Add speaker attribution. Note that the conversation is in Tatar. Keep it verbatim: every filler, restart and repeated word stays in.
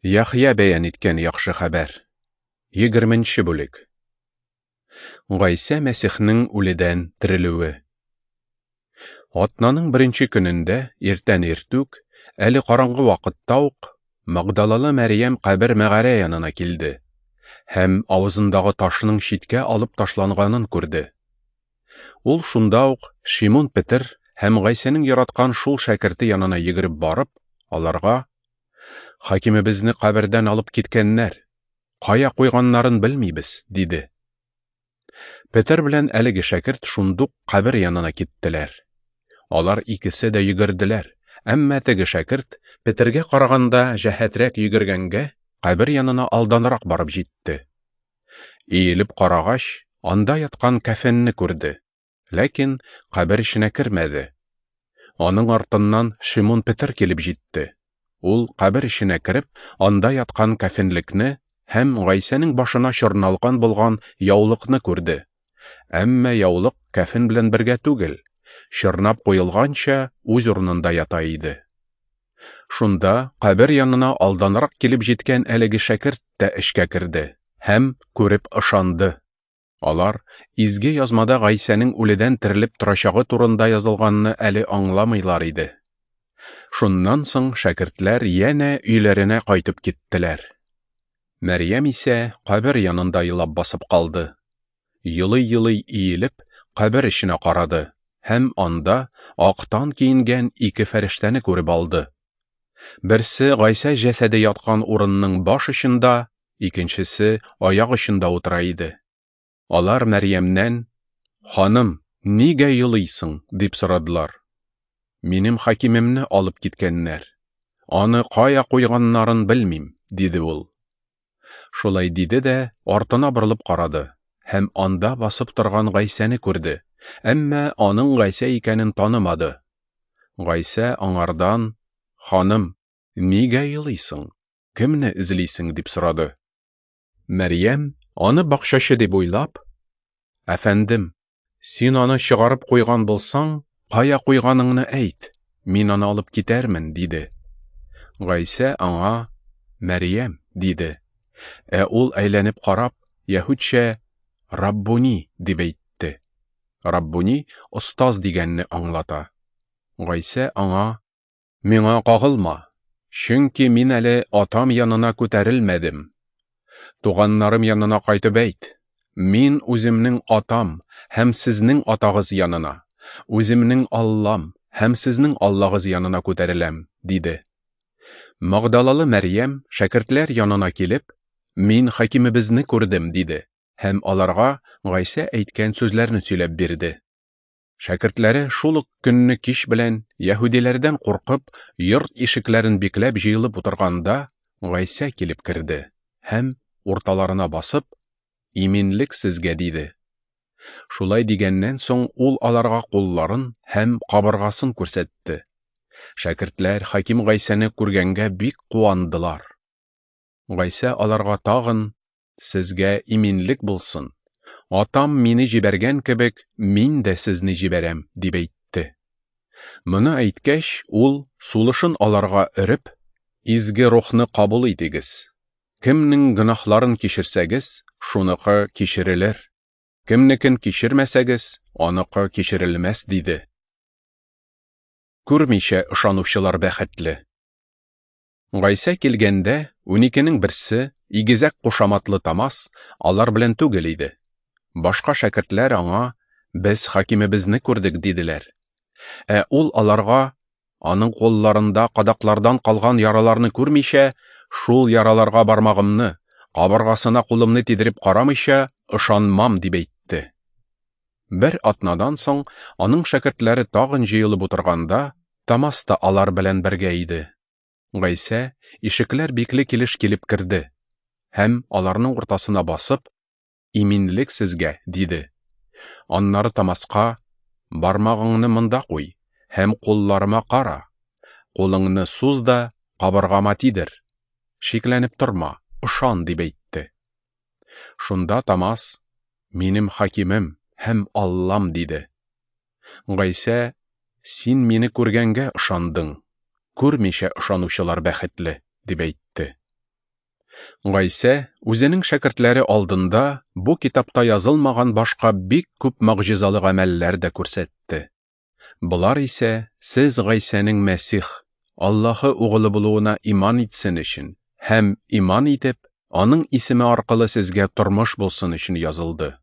Speaker 1: Яхъя бәян иткән яхшы хәбәр. Егерменче бүлек. Гайсә Мәсихнең үледән терелүе. Атнаның беренче көнендә иртән иртүк, әле караңгы вакытта ук, Магдалалы Мәрьям кабер мәгарә янына килде һәм авызындагы ташның читкә алып ташланганын күрде. Ул шунда ук Шимун Петер һәм Гайсәнең яраткан шул шәкерте янына йөгереп барып, аларга: "Хакимебезне кабердән алып киткәннәр, кая куйганнарын белмибез", диде. Петер белән әлеге шәкерт шундук кабер янына киттеләр. Алар икесе дә йөгерделәр, әмма теге шәкерт Петергә караганда җәһәтрәк йөгергәнгә, кабер янына алданрак барып җитте. Иелеп карагач, анда яткан кәфенне күрде, ләкин кабер эченә кермәде. Аның артыннан Шимун Петер килеп җитте. Ул кабер эченә кереп, анда яткан кәфенлекне һәм Гайсәнең башына чорналган булган яулыкны күрде. Әмма яулык кәфен белән бергә түгел, чорнап куелганча үз урынында ята иде. Шунда кабер янына алданрак килеп җиткән әлеге шәкерт тә эчкә керде һәм күреп ышанды. Алар Изге Язмада Гайсәнең үледән терелеп торачагы турында язылганны әле аңламыйлар иде. Шуннан соң шәкертләр янә өйләренә кайтып киттеләр. Мәрьям исә кабер янында елап басып калды. Елый-елый иелеп, кабер эченә карады һәм анда актан киенгән ике фәрештәне күреп алды. Берсе Гайсә җәсәде яткан урынның баш очында, икенчесе аяк очында утыра иде. Алар Мәрьямнән: "Ханым, нигә елыйсың?" дип сорадылар. "Минем хакимемне алып киткәннәр. Аны кая куйганнарын белмим", диде ул. Шулай диде дә артына борылып карады һәм анда басып торган Гайсәне күрде, әмма аның Гайсә икәнен танымады. Гайсә аңардан: "Ханым, нигә елыйсың? Кемне эзлисең?" дип сорады. Мәрьям аны бакчачы дип уйлап: "Әфәндем, син аны чыгарып куйган булсаң, кая куйганыңны әйт, мин аны алып китәрмен", диде. Гайсә аңа: "Мәрьям", диде. Ә ул әйләнеп карап, яһүдчә "Раббуни" дип әйтте. Раббуни остаз дигәнне аңлата. Гайсә аңа: "Миңа кагылма, чөнки мин әле Атам янына күтәрелмәдем. Туганнарым янына кайтып әйт: мин үземнең Атам һәм сезнең Атагыз янына, үземнең Аллам һәм сезнең Аллагыз янына күтәреләм", диде. Магдалалы Мәрьям шәкертләр янына килеп: "Мин хакимебезне күрдем", диде һәм аларга Гайсә әйткән сүзләрне сөйләп бирде. Шәкертләре шул ук көнне кич белән яһүдиләрдән куркып, йорт ишекләрен бикләп җыелып утырганда, Гайсә килеп керде һәм урталарына басып: "Иминлек сезгә", диде. Шулай дигәннән соң ул аларга кулларын һәм кабыргасын күрсәтте. Шәкертләр хаким Гайсәне күргәнгә бик куандылар. Гайсә аларга тагын: "Сезгә иминлек булсын. Атам мине җибәргән кебек, мин дә сезне җибәрәм", дип әйтте. Моны әйткәч, ул сулышын аларга өреп: "Изге Рухны кабул итегез. Кемнең гөнаһларын кичерсәгез, шуныкы кичерелер. Кемнекен кичермәсәгез, аныкы кичерелмәс", диде. Күрмичә ышанучылар бәхетле. Гайсә килгәндә, уникенең берсе, игезәк кушаматлы Томас, алар белән түгел иде. Башка шәкертләр аңа: "Без хакимебезне күрдек", диделәр. Ә ул аларга: "Аның кулларында кадаклардан калган яраларны күрмичә, шул яраларга бармагымны, кабыргасына кулымны тидереп карамыйча, ышанмам", дип әйтте. Бер атнадан соң аның шәкертләре тагын җыелып утырганда, Томас та алар белән бергә иде. Гайсә ишекләр бикле килеш килеп керде һәм аларның уртасына басып: "Иминлек сезгә", диде. Аннары Томаска: "Бармагыңны монда куй һәм кулларыма кара. Кулыңны суз да кабыргама тидер. Шикләнеп торма, ышан", дип әйтте. Шунда Томас: "Минем хакимем һәм Аллам", диде. Гайсә: "Син мине күргәнгә ышандың. Күрмичә ышанучылар бәхетле", дип әйтте. Гайсә үзенең шәкертләре алдында бу китапта язылмаган башка бик күп могҗизалы гамәлләр дә күрсәтте. Болар исә сез Гайсәнең Мәсих, Аллаһы угылы булуына иман итсен өчен һәм иман итеп, аның исеме аркылы сезгә тормыш булсын өчен язылды.